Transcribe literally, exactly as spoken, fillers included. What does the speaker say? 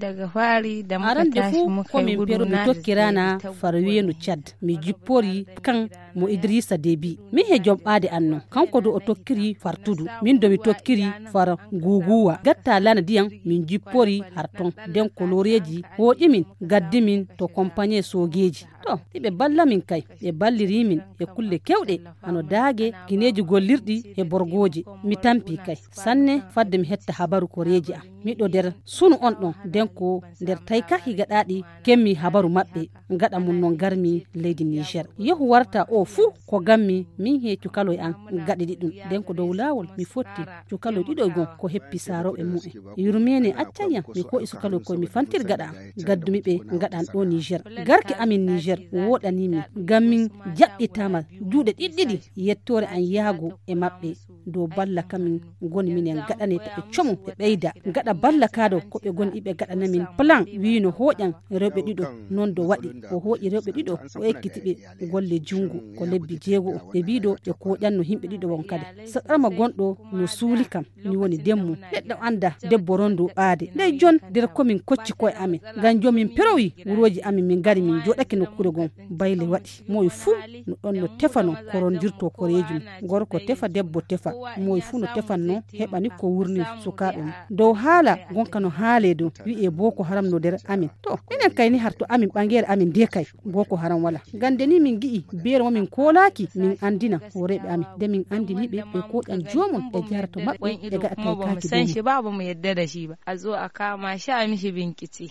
Arande fuu ko min peru mi tokkiraana far weenu cad mi jipporii kan mo idiriisa debi min he jomɓaade an non kanko du o tokkirii far tudu min do mi tokkirii far guuguuwa gattaa lana diyam min jipporii har ton nden koloreeji hooƴi min gaddi min to kompaɲee soogeeji. To iɓe balla min kay ɓe ballirii min e kulle keewɗe hano daage gineeji gollirɗi e borgooje. Mi tampii kay sanne fadde mi hetta habaru koreeji am. Miɗo nder sunu on ɗon nden ko nder tayka higaɗaaɗi kemmi habaru maɓɓe. Gaɗa mum non garmi leydi niger yehu warta o fuu ko gammi min he cukaloy an. Gaɗiɗi ɗum nden ko dow laawol mi fotti cukaloy ɗiɗo gon ko heppi saarooɓe mumen. Yurmeene accan yam mi koɗi sukaloy koye mi fantir gaɗa am. Gaddumi ɓe gaɗan ɗo niger garki amin niger woɗanimi ngam min jaɓɓitama juuɗe ɗiɗɗiɗi. Yettoore an yaago e maɓɓe dow balla kamin ngoni minen gaɗane to ɓe comu ɓe ɓeyda gaɗa balla ka dow ko ɓe goni iɓe gaɗana min plan wiino hooƴan rewɓe ɗiɗo. Non do waɗi o hooƴi rewɓe ɗiɗo o ekkiti ɓe golle junngo ko lebbi jeego o ɓe mbiɗo ɓe kooƴanno yimɓe ɗiɗo won kadi saɗarma gonɗo no suuli kam. Mi woni demmu neɗɗo annda debbo rondu ɓaade ndey jon nder komin kocci koye amin ngam jomin perowi wurooji amin min ngari min jooɗake nokkuure gon. Bayle waɗi moy fuu no ɗon no tefano ko rondirto koreeji mum. Gorko tefa debbo tefa moy fuu no tefanno heɓani ko wurnir sukaaɓe mum. Dow haala gonka no haalee dow wi'ee booko haram no nder amin. To minen kay ni har to amin ɓangeere amin nde kay booko haram wala. Ngam nde ni min ngi'i beere mo min koolaaki min anndina hooreeɓe amin nde min anndini ɓe ɓe kooƴan joomum ɓe jahata to maɓɓe ɓe ngaɗa taykaaki dow mum. Shi ba ba mu yadda da shi ba a zo a kama shi a mishi bincike.